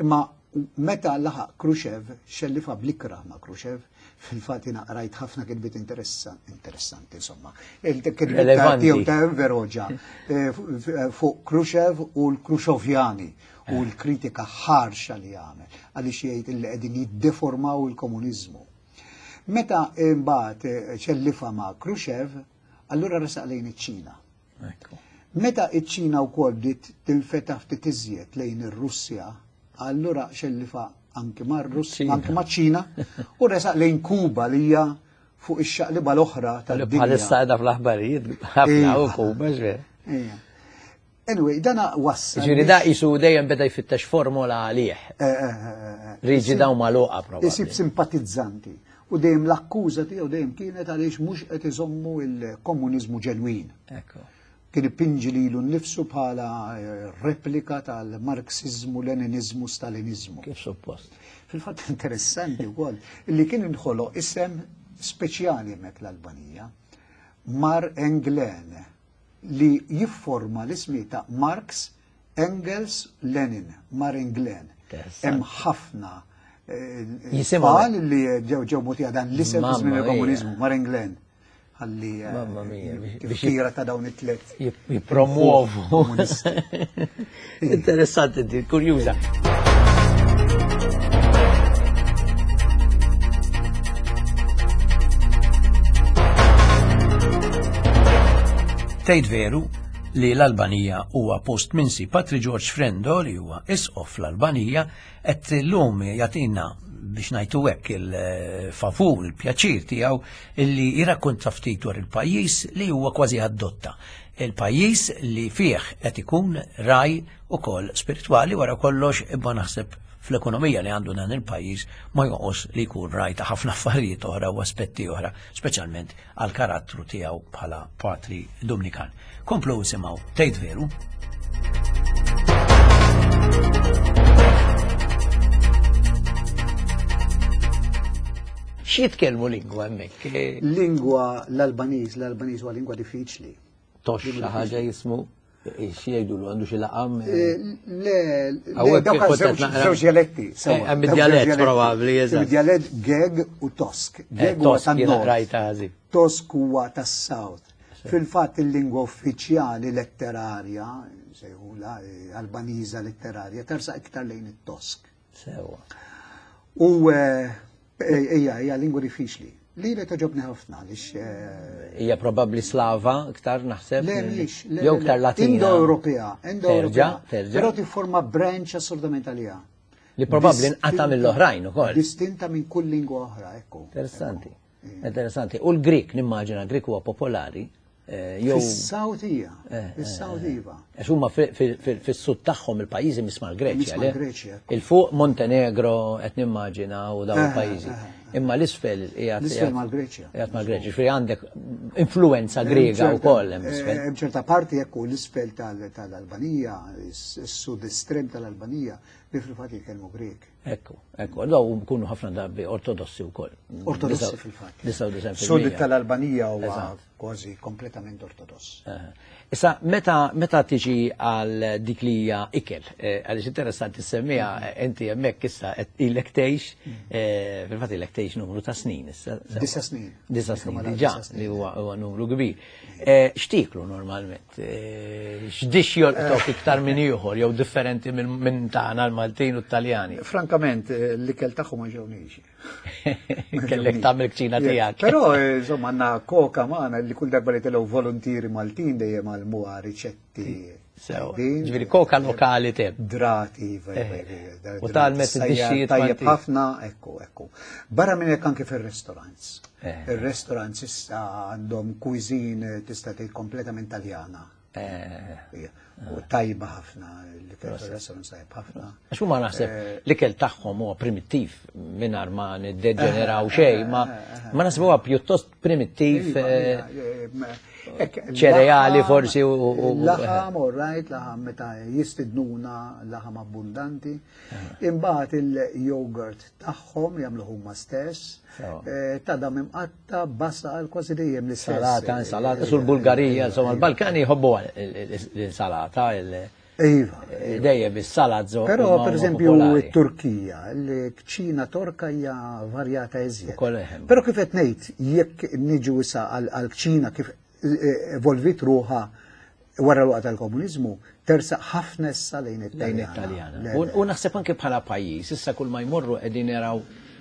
imma meta laħaq Khrushchev, xellifa bl-ikrah ma' Khrushchev, fil-fatt jiena qrajt ħafna kitbiet interessanti, insomma. Il-kitbiet tiegħu ta' Enver Hoxha fuq Khrushchev u l-Khrushchevjani u l-kritika ħarxa li għamel, għaliex jgħid li qegħdin jiddeformaw il-komuniżmu. Meta imbagħad xellifa ma' Khrushchev, allura resaq lejn iċ-Ċina. Meta iċ-Ċina wkoll bdiet tinfetaħ ftit iżjed lejn ir-Russja, allura xellifa anki mar-Russja, anki maċ-Ċina, u resaq lejn Kuba li hija fuq ix-xaqliba l-oħra tad-dinja. Bħalissa qiegħda fl-aħbarijiet ħafna u Kuba x'ver. Anyway, dana wassal. Ġifieri da qisu dejjem beda jfittex formola għalih. Riġida u magħluqa probabbli. Isib simpatizzanti. U dejjem l-akkuża tiegħu dejjem kienet għaliex mhux qed iżommu l-komuniżmu ġenwin. Ekku. Kien ipinġi lilu nnifsu bħala replika tal-Marxizmu, Leninizmu, Stalinizmu. Kif suppost. Fil-fatt interessanti wkoll li kien inħoloq isem speċjali hemmhekk l-Albanija, Mar Englen, li jifforma l-ismi ta' Marx, Engels, Lenin, Mar Englen. Hemm ħafna tfal li ġew ġew mutija dan l-isem fi żmien il-komuniżmu, Mar Englen. Għalli tifkira ta' dawn it-tlet. Jipromuovu. Interessanti, di, kurjuża. Tgħid veru li l-Albanija huwa post minsi. Patri George Frendo li huwa isqof l-Albanija qed illum jagħtina biex ngħidu hekk il-favur, il-pjaċir tiegħu illi jirrakkonta ftit dwar il-pajjiż li huwa kważi adotta. Il-pajjiż li fih qed ikun raj ukoll spiritwali wara kollox, imma naħseb fl-ekonomija li għandu dan il-pajjiż ma jonqos li jkun raj ta' ħafna affarijiet oħra u aspetti oħra, speċjalment għal karattru tiegħu bħala patri Dominikan. Komplu isimgħu Tgħid Veru. X'jitkellmu lingwa hemmhekk? Lingwa l-Albaniż, l-Albaniż huwa lingwa diffiċli. Tox xi ħaġa jismu, xi jgħidulu għandu xi laqam? Le, dawk żewġ dialetti. Hemm id-dialett probabbli, eżatt. Id-dialett Geg u Tosk. Geg huwa tan-nord. Tosk huwa tas-South. Fil-fatt il-lingwa uffiċjali letterarja, sejħula Albaniża letterarja, tersaq iktar lejn it-Tosk. Sewa. U hija hija lingwa diffiċli. Li li toġobni ħafna għaliex hija probabbli Slava iktar naħseb. Le mhix, jew iktar Latina. Indo-Ewropea, Indo-Ewropea. Però tifforma branch assolutament għaliha. Li probabbli nqata' mill-oħrajn ukoll. Distinta minn kull lingwa oħra, ekku. Interessanti. Interessanti. U l-Grik, nimmaġina, Grik huwa popolari. Fis-South hija, fis-South iva. Għax huma fis-sud tagħhom il-pajjiżi misma' l-Greċja. Misma' l-Greċja. Il-fuq Montenegro qed nimmaġina u dawn il-pajjiżi. Imma l-isfel qiegħed L-isfel mal-Greċja. Qiegħed mal-Greċja, ġifieri għandek influenza Grega wkoll hemm isfel. Hemm ċerta parti, ekku, l-isfel tal-Albanija, is-sud estrem tal-Albanija, li fil-fatt jitkellmu Grek. Ekku, ekku, daw kunu ħafna drabi ortodossi wkoll. Ortodossi fil-fatt. disgħa u disgħin fil-mija. Sud tal-Albanija huwa kważi kompletament ortodoss. Issa, meta, meta tiġi għal dik li hija ikel, eh, għaliex interessanti semmija, inti hemmhekk issa qed ilek tgħix, eh, fil-fatt ilek tgħix numru ta' snin issa. Disa' snin. Disa' snin, Mela, diġà, disa' snin. li huwa huwa numru kbir. Eh, X'tieklu normalment? Eh, X'dix jolqtok iktar minn ieħor jew differenti minn minn tagħna l-Maltin u t-Taljani? Frankament, eh, l-ikel tagħhom ma ġewniex. Kellek tagħmel kċina tiegħek. Però, eh, insomma, għandna koka magħna li kull darba li telgħu volontieri Maltin dejjem għallmuha riċetti. Sew, tajbin. ġifieri koka lokali teb. Drati, iva, iva, Eh, iva, u tgħallmet drati id-dixxijiet tajjeb Maltin. ħafna, ekku, ekku. Barra minn hekk anke fir-restaurants. Eh. Ir-restaurants issa għandhom cuisine tista' tgħid kompletament Taljana. Eh, Ija, u tajba ħafna, l-ikel fir-restaurants tajjeb ħafna. Għax huma naħseb l-ikel tagħhom huwa primittiv mingħajr ma niddeġeneraw xejn, ma ma naħseb huwa pjuttost primittiv Iva, eh, iva, eh, ekk, ċereali laħam- forsi u- u- u- Laħam, all right, laħam meta jistidnuna, laħam abbundanti. Imbagħad il-yogurt tagħhom jagħmlu huma stess. Sewa. Eh, Tadam imqatta, basal, kważi dejjem l-istess. Salata, insalata, sul Bulgarija, insomma, l-Balkani jħobbu l-insalata, il- Iva. dejjem is-salad zo. Però huma- per huma eżempju popolari. it-Turkija, l-kċina torka hija varjata iżjed. Ukoll eħem. Però kif qed ngħid, jekk niġu issa għal-kċina kif eh, evolvit ruħha wara l-waqt tal-komuniżmu, tersaq ħafna issa lejn Lejn it-Taljana. it-Taljana. Le, U le. u naħseb anke bħala pajjiż, issa kull ma jmorru qegħdin jaraw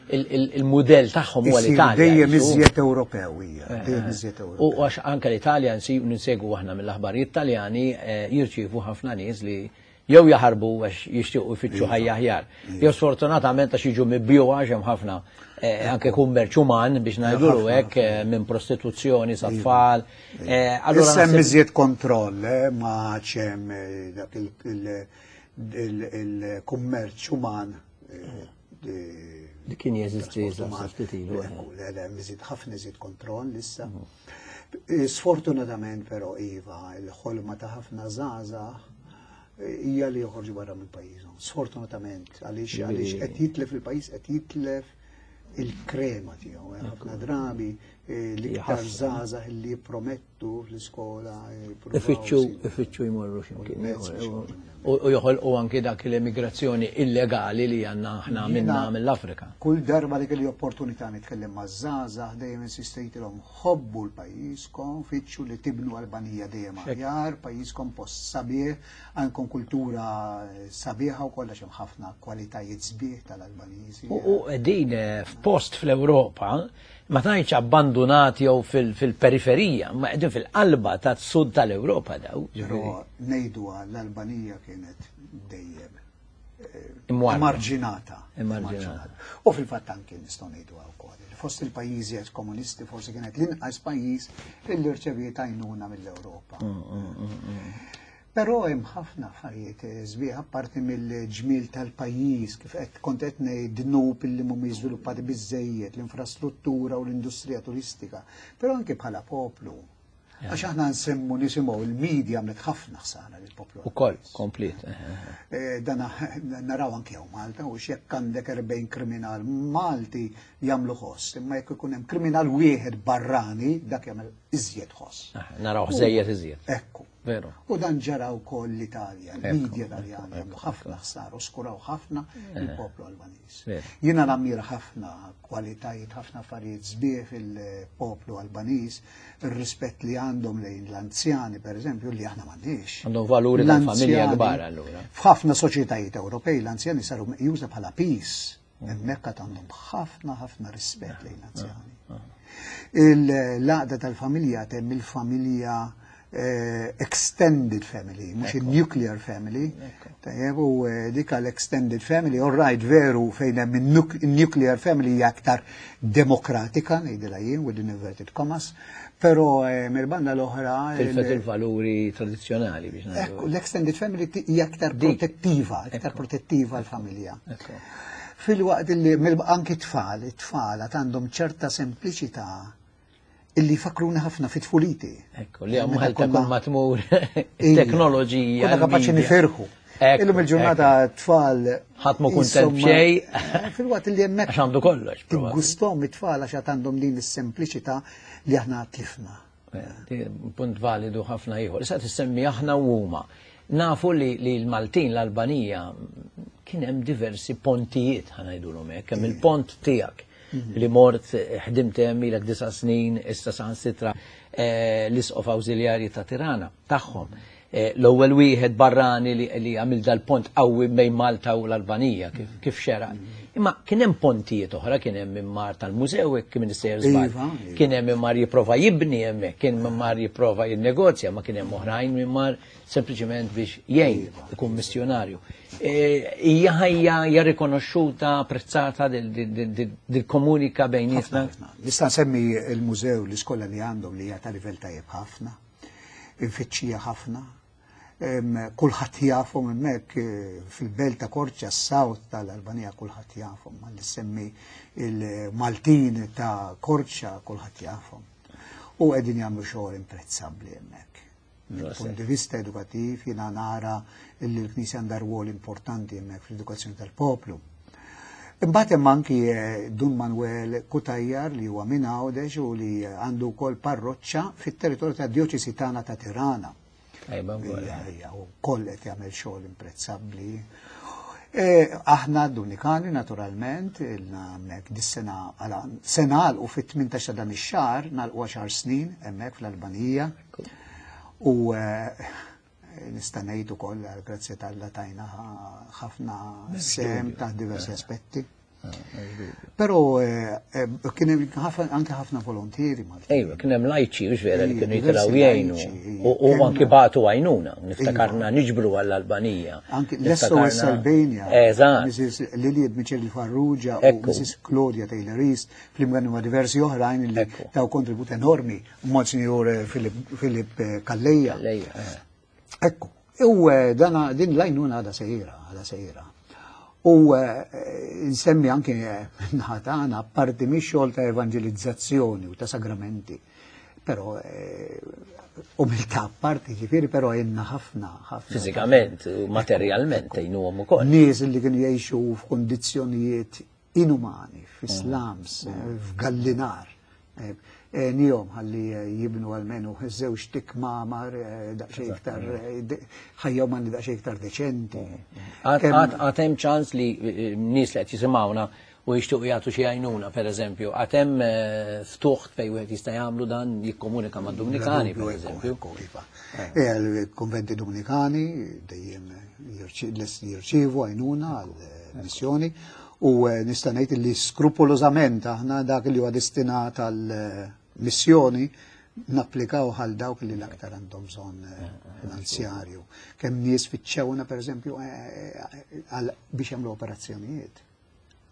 il- il- il-mudell tagħhom huwa Isir l-Italja. Dejjem jisu. iżjed Ewropew hija, dejjem iżjed U Ewropew. għax anke l-Italja nsi- ninsegwu aħna mill-aħbarijiet Taljani eh, jirċievu ħafna nies li jew jaħarbu għax jixtiequ jfittxu ħajja aħjar. Jew sfortunatament għax jiġu mibjugħa għax hemm ħafna eh, anke kummerċ uman biex ngħidulu hekk eh, minn prostituzzjoni sa tfal. Eh, Allura Issa hemm naħseb- iżjed kontroll, eh, ma hemm eh, dak il- il- il- il-kummerċ uman. eh, eh, Li kien jeżisti trasport uman. ftit ilu, eh. Ekku, le, le, hemm iżjed ħafna iżjed kontroll issa. Eh, Sfortunatament però iva, il-ħolma ta' ħafna żgħażagħ eh, hija li joħorġu barra minn pajjiżhom. Sfortunatament, għaliex għaliex qed jitlef il-pajjiż qed jitlef il-krema tiegħu. eh, Ħafna drabi eh, l-iktar żgħażagħ li jippromettu fl-iskola. eh, jippruvaw Ifittxu, isibu. ifittxu jmorru x'imkien. mezz biex joħorġu minn U u joħolqu anki dak l-immigrazzjoni illegali li għandna aħna minna Jiena- mill-Afrika. Kull darba li kelli opportunità nitkellem ma' żgħażagħ dejjem insistejtilhom ħobbu l-pajjiżkom, fittxu li tibnu Albanija dejjem aħjar, pajjiżkom post sabiħ, għandkom kultura sabiħa u kollha hemm ħafna kwalitajiet sbieħ tal-Albaniżi. U u qegħdin eh, f'post fl-Ewropa, ma tgħidx abbandunati jew fil- fil-periferija, ma qegħdin fil-qalba tas-sud tal-Ewropa daw. Però ngħidu l-Albanija kienet dejjem eh, Imwarrba. Emarġinata. Emarġinata. U fil-fatt anke nistgħu ngħidu wkoll. li fost il-pajjiżi ex komunisti forsi kienet l-inqas pajjiż illi rċeviet għajnuna mill-Ewropa. Però hemm ħafna affarijiet eh, sbieħ apparti mill-ġmiel tal-pajjiż kif qed kont qed ngħid dnub illi mhumiex żviluppati biżejjed, l-infrastruttura u l-industrija turistika, però anke bħala poplu. Għax aħna nsemmu nisimgħu il-medja għamlet ħafna ħsara lill-poplu. Ukoll, komplet. Eh, Dan naraw anke hawn Malta u x'jekk għandek erbgħin kriminal Malti jagħmlu ħoss, imma jekk ikun hemm kriminal wieħed barrani dak jagħmel iżjed ħoss. Naraw żejjed iżjed. Ekku. Veru. U dan ġara wkoll l-Italja, Ekku, il-medja Taljana jagħmlu ħafna ħsara u skuraw ħafna il-poplu Albaniż. Veru. Jiena nammira ħafna kwalitajiet, ħafna affarijiet sbieħ fil-poplu Albaniż, ir-rispett li għandhom lejn l-anzjani, per eżempju, li aħna m'għandniex. Għandhom valuri tal-familja L-anzjani- kbar allura. F'ħafna soċjetajiet Ewropej l-anzjani saru meqjusa bħala piż. Hemmhekk għad għandhom ħafna ħafna rispett lejn l-anzjani. Il-għaqda tal-familja temm il-familja eh, extended family, mhux il-nuclear family. Tajjeb, u eh, dik l-extended family, all right, veru fejn hemm il-nuclear family hija aktar demokratika, ngħidilha jien, with inverted commas, però eh, mill-banda l-oħra il- Tilfet il-valuri tradizzjonali biex Ekku, ngħidu. l-extended family ti- hija aktar Dik. protettiva, aktar protettiva l-familja. Ekku. Filwaqt li anki tfal, it-tfal għandhom ċerta sempliċità illi fakruna ħafna fit tfuliti. Ekku, li għamu ħalta kull ma tmur teknoloġija. Konna kapaċi nifirħu. Illum il-ġurnata tfal. Ħadd mu kuntent b'xejn. Filwaqt li hemmhekk. Għax għandu kollox. Gustom it-tfal għax għandhom din is-sempliċità li aħna tlifna. Punt validu ħafna ieħor. Issa tissemmi aħna u huma. Nafu li l-Maltin, l-Albanija, kien hemm diversi pontijiet ħa ngħidulhom hekk, hemm il-pont tiegħek li mort ħdimt hemm ilek disa' snin, issa saħansitra l-isqof awżiljarji ta' Tirana tagħhom. L-ewwel wieħed barrani li għamil dal-pont qawwi bejn Malta u l-Albanija kif xeraq. Imma kien hemm pontijiet oħra, kien hemm min mar tal-mużew hekk kien sejjer żball. Kien hemm min mar jipprova jibni hemmhekk, kien min mar jipprova jinnegozja, ma kien hemm oħrajn min mar sempliċement biex jgħin ikun missjonarju. Hija ħajja hija rikonoxxuta, apprezzata dil-komunika bejnietna. Nista' nsemmi l-mużew, l-iskola li għandhom li hija ta' livell tajjeb ħafna, infittxija ħafna. Kulħadd jafhom hemmhekk fil-belt ta' Korċa, s-South tal-Albanija, kulħadd jafhom. Ma semmi il-Maltin ta' Korċa, kulħadd jafhom. U qegħdin jagħmlu xogħol imprezzabbli hemmhekk. Mill-punt di vista edukattiv jiena nara li l-Knisja għandha rwol importanti hemmhekk fl-edukazzjoni tal-poplu. Imbagħad hemm anki Dun Manuel Kutajjar li huwa minn Għawdex u li għandu wkoll parroċċa fit-territorju tad-djoċesi tagħna ta' Tirana. U koll qed jagħmel xogħol imprezzabbli. Aħna Dominikani naturalment, ilna hemmhekk dis-sena se nagħlqu fit-tmintax ta' dan ix-xahar, nagħlqu għaxar snin hemmhekk fl-Albanija. U nista' ngħid ukoll grazzi t'Alla tajna ħafna sehem ta' diversi aspetti. Però kien hemm anke ħafna volontieri Maltin. Ejwa, kien hemm lajċi, hux vera, li kienu jitilgħu jgħinu. U anki bagħtu għajnuna, niftakarna niġbru għall-Albanija. Anki l-S O S Albania. Eżatt. Missus Liliad Micheli Farrugia u Missus Claudia Taylor East, flimkien ma' diversi oħrajn li taw kontribut enormi, Monsignor Filip Calleja. Ekku, u dana din l-għajnuna għadha sejra, għadha sejra. U nsemmi anke naħatana parti mix-xogħol ta' evangelizzazzjoni u ta' sagramenti. Però umiltà parti ġifieri, però għenna ħafna, ħafna. Fiżikament u materjalment għinuhom ukoll. Nies li kienu jgħixu f'kondizzjonijiet inumani, fi slums, f'gallinar. Nihom ħalli jibnu għalmenu żewġ kmamar daqsxejn iktar ħajja umani daqsxejn iktar deċenti. Għad hemm ċans li nies li qed jisimgħuna u jixtiequ jagħtu xi għajnuna, pereżempju, għad hemm ftuħ fejn wieħed jista' jagħmlu dan, jikkomunika mad-Dominikani, pereżempju. Il-konventi Dominikani dejjem jirċievu għajnuna għall-missjoni u nista' ngħid li skrupolożament aħna dak li huwa destinat għall-missjoni napplikaw għal dawk li l-aktar għandhom bżonn finanzjarju. Kemm nies fittxewna pereżempju biex jagħmlu operazzjonijiet.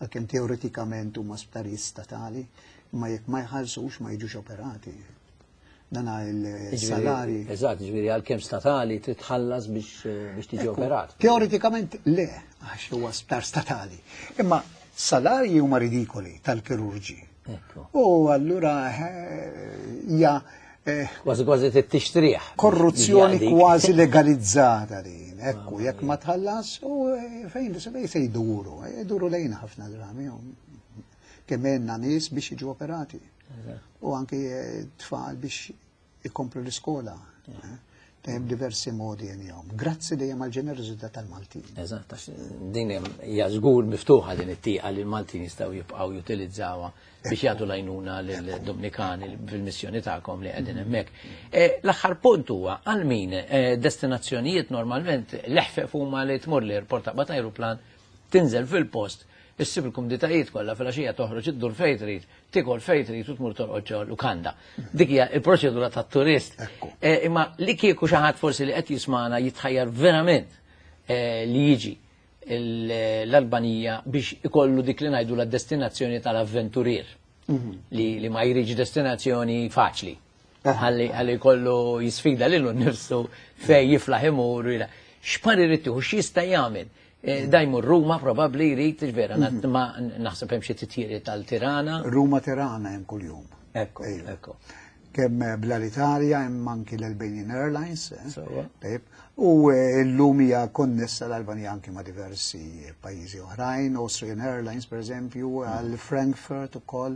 Għalkemm teoretikament huma sptarijiet statali, ma jekk ma jħallsux ma jiġux operati. Dana il-salari. Eżatt, ġifieri għalkemm statali titħallas biex tiġi operat. Teoretikament le, għax huwa sptar statali. Imma salarji huma ridikoli tal-kirurġi. U allura hija kważi kważi tixtrih. Korruzzjoni kważi legalizzata din. Ekku, jekk ma tħallas, u fejn se jduru, jduru lejn ħafna drabi. Kemm għandna nies biex jiġu operati. U anki tfal biex ikomplu l-iskola. Hemm diversi modi għenjom. Grazzi dejjem għal-ġenerożità tal-Maltin. Eżatt, għax din hija żgur miftuħa din it-tieqa li l-Maltin jistgħu jibqgħu jutilizzawha biex jagħtu l-għajnuna lill-Dominikani fil-missjoni tagħkom li qegħdin hemmhekk. L-aħħar punt huwa għal min destinazzjonijiet normalment l-eħfef huma li tmur l-airport taqbad ajruplan, tinżel fil-post, issib il-kumditajiet kollha fil-għaxija toħroġ iddur fejn trid, tikol fejn trid u tmur torqod ġo lukanda. Dik hija l-proċedura tat-turist. Imma li kieku xi ħadd forsi li qed jismana jitħajjar verament li jiġi l-Albanija biex ikollu dik li ngħidu la destinazzjoni tal-avventurier. Li ma jridx destinazzjoni faċli. Ħalli jkollu jisfida lilu nnifsu fejn jiflaħ imur. X'par irid tieħu, x'jista' jagħmel? Dajmu Ruma probabbli jrid vera, ma naħseb hemm xi titjiri tal-Tirana. Ruma Tirana hemm kuljum. Ekku, ekku. Kemm bl-Alitalia hemm anki l-Albanian Airlines. U llum hija konnessa l-Albanija anki ma' diversi pajjiżi oħrajn, Austrian Airlines per eżempju, għal Frankfurt ukoll,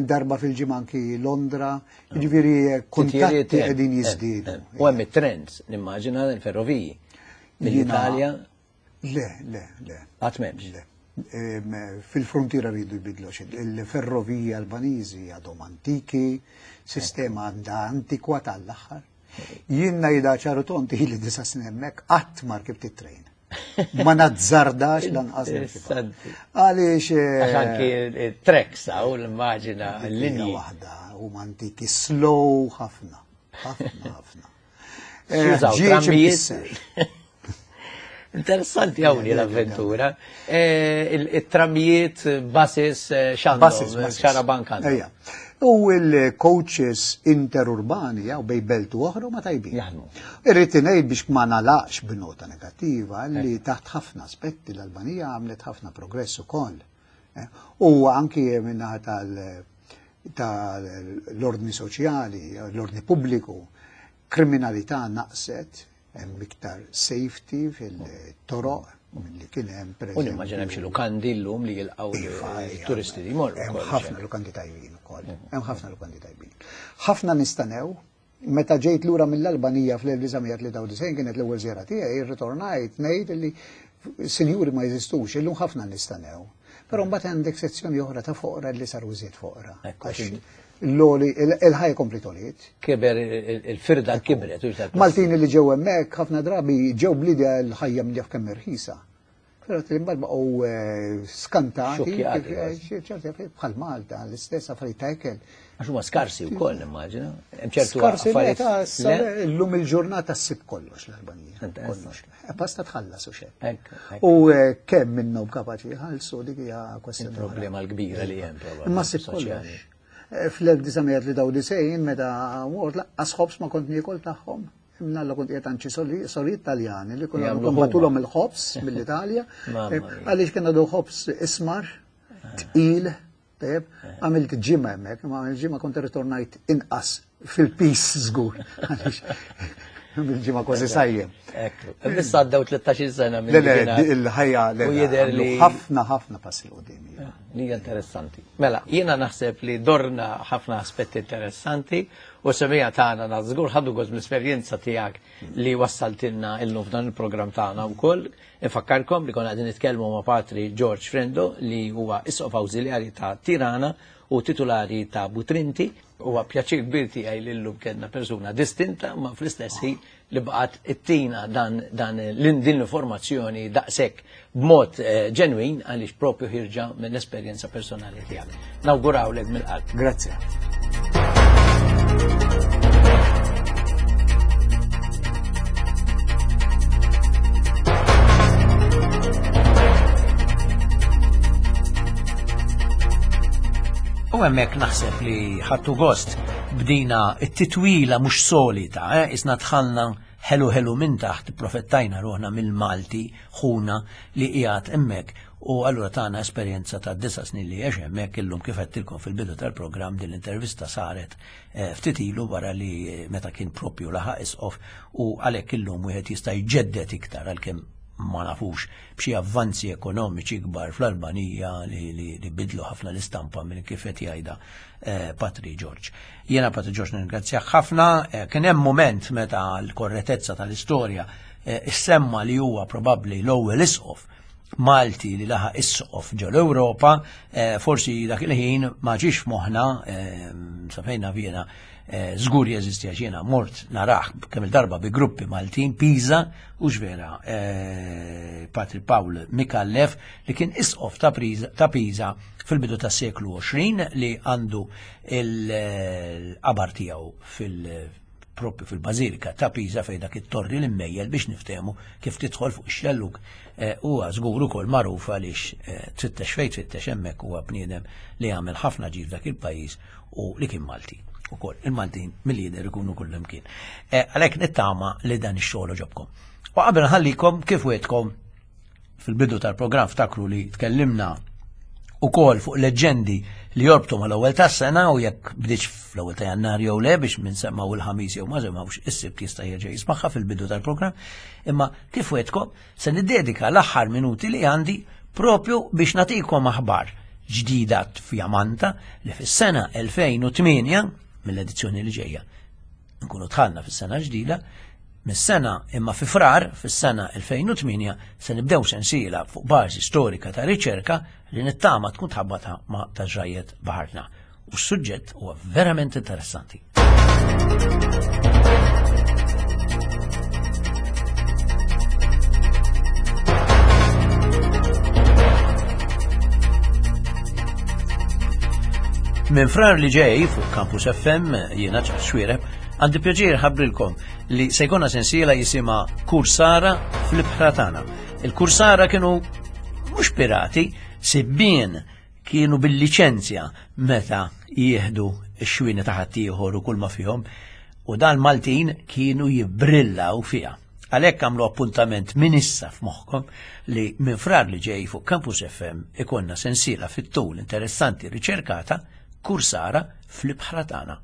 darba fil-ġimgħa anki Londra, jiġifieri kuntatti qegħdin jiżdiedu. U hemm it-trends, nimmaġina l-ferroviji mill-Italja. Le, le, le. Qatt m'hemmx. Le. Fil-frontiera rridu jbidlu xi. Il-ferroviji Albaniżi għadhom antiki, sistema għandha antikwata għall-aħħar. Jien ngħidha ċaru tonti li disa' snin hemmhekk qatt ma rkibt it-trejn. Ma nazzardax lanqas nirkibha. Għaliex Għax anki it-tracks hawn l-immaġina l-linji. Waħda huma antiki slow ħafna, ħafna ħafna. Jużaw trammijiet. Interessanti hawn l-avventura. Il-trammijiet, buses, x'għandhom, xarabank għandhom. U il-coaches interurbani jew bej belt u oħra ma tajbin. Jaħdmu. Irrid ngħid biex ma nalaqx b'nota negattiva li taħt ħafna aspetti l-Albanija għamlet ħafna progress ukoll. U anki minnaħa tal-ordni soċjali, l-ordni pubbliku, kriminalità naqset, hemm iktar safety fil-toroq milli kien hemm per U nimmaġina hemm xi lukandi llum li jilqgħu turisti li jmorru. Hemm ħafna lukandi tajbin ukoll. Hemm ħafna lukandi tajbin. Ħafna nistanew, meta ġejt lura mill-Albanija fl-elf disa' mija tlieta u disgħin kienet l-ewwel żjara tiegħi, irritornajt ngħid li sinjuri ma jeżistux, illum ħafna nistanew. Però mbagħad għandek sezzjoni oħra ta' foqra li saru żied foqra. L-oli, il-ħajja kompli toliet. Kiber, il-firda kibret. Maltini li ġew hemmhekk ħafna drabi ġew bl-idea l-ħajja minn kemm irħisa. Però imbagħad baqgħu skantati, bħal Malta, l-istess affarijiet ta' ikel. Għax huma skarsi wkoll nimmaġina. Hemm ċertu skarsi llum il-ġurnata ssib kollox l-Albanija. Kollox. Basta tħallas u xejn. U kemm minnhom kapaċi jħallsu dik hija kwestjoni. Il-problema l-kbira li hemm probabbli. Imma ssib kollox. fl-elf disa' mija tlieta u disgħin meta mort laqqas ħobż ma kont niekol tagħhom. Imnalla kont qiegħed għand xi sorijiet Taljani li konna nbatulhom il-ħobż mill-Italja. Għaliex kien għadu ħobż ismar, tqil, tajjeb, għamilt ġimgħa hemmhekk, imma għamilt ġimgħa kont irritornajt inqas fil-pis żgur. Għaliex bil-ġimgħa kważi sajjem. Ekku. Issa għaddew tlettax-il sena minn Le, le, il-ħajja le, U jidher li ħafna ħafna passi 'l quddiem. Li hija interessanti. Mela, jiena naħseb li dorna ħafna aspetti interessanti u semija tagħna żgur ħadu gost mill-esperjenza tiegħek li wassaltilna illum f'dan il-programm tagħna wkoll. Infakkarkom li konna qegħdin nitkellmu ma' Patri George Frendo li huwa isqof awżiljarji ta' Tirana u titulari ta' Butrinti. Huwa pjaċir kbir tiegħi li llum kellna persuna distinta ma fl-istess ħin li baqgħet ittina dan dan din l-informazzjoni daqshekk b'mod ġenwin għaliex propju ħirġa mill-esperjenza personali tiegħek. Nawgurawlek mill-qalb. Grazzi. U hemmhekk naħseb li ħadtu gost bdina t-titwila mhux solita, eh? Isna dħalna ħelu ħelu minn taħt, profettajna ruħna mill-Malti ħuna li qiegħed hemmhekk u allura tagħna esperjenza ta' disa' snin li għex hemmhekk illum kif għedtilkom fil-bidu tal-programm din l-intervista saret ftit ilu wara li meta kien propju laħaq isqof u għalhekk illum wieħed jista' jġeddet iktar għalkemm ma nafux b'xi avvanzi ekonomiċi kbar fl-Albanija li, li, li bidlu ħafna l-istampa minn kif qed jgħidha eh, Patri George. Jiena Patri George ningrazzjah ħafna, eh, kien hemm mument meta l-korretezza tal-istorja eh, issemma li huwa probabbli l-ewwel isqof Malti li laħaq isqof ġol Ewropa, eh, forsi dak il-ħin ma ġiex f'moħħna, eh, safejna jiena żgur jeżisti għax jiena mort narah kemm il-darba bi gruppi Maltin Pisa u x'vera Patri Pawl Micallef li kien isqof ta' Pisa fil-bidu tas-seklu għoxrin li għandu l-qabar tiegħu fil propju fil-Bażilika ta' Pisa fejn dak it-torri li mmejjel biex niftehmu kif tidħol fuq ix-xellug huwa żgur ukoll magħruf għaliex tfittex fejn tfittex hemmhekk huwa bniedem li għamel ħafna ġid f'dak il-pajjiż u li kien Malti. Ukoll il-Maltin mill-lider ikunu kullimkien. Għalhekk nittama li dan ix-xogħol ġobkom. U qabel nħallikom kif wetkom Fil-bidu tal-programm ftakru li tkellimna ukoll fuq leġġendi li jorbtu mal-ewwel tas-sena u jekk bdietx fl-ewwel ta' Jannar jew le biex min semgħu il-Ħamis jew ma semgħux is-Sibt jista' jerġa' jismagħha fil-bidu tal-programm. Imma kif wegħedtkom se niddedika l-aħħar minuti li għandi propju biex nagħtikom aħbar ġdida fjamanta li fis-sena elfejn u tmienja, mill-edizzjoni li ġejja, nkunu dħalna fis-sena ġdida, mis-sena imma fi Frar fis-sena elfejn u tmienja se nibdew sensiela fuq bażi storika ta' riċerka li nittama tkun tħabbata ma' ta' ġrajiet baħarna. U s-suġġett huwa verament interessanti. Minn Frar li ġej fuq Campus F M, jiena Charles Xuereb, għandi pjaċir ħabbrilkom li se jkollna sensiela jisimha Kursara fl-ibħra tagħna. Il-Kursara kienu mhux pirati, sibbien kienu bil-liċenzja meta jieħdu x-xwini ta' ħaddieħor u kull ma fihom, u dan Maltin kienu jibbrillaw fiha. Għalhekk għamlu appuntament minn issa f'moħħkom li minn Frar li ġej fuq Campus F M ikonna sensiela fit-tul interessanti riċerkata Kursara fl-ibħra tagħna.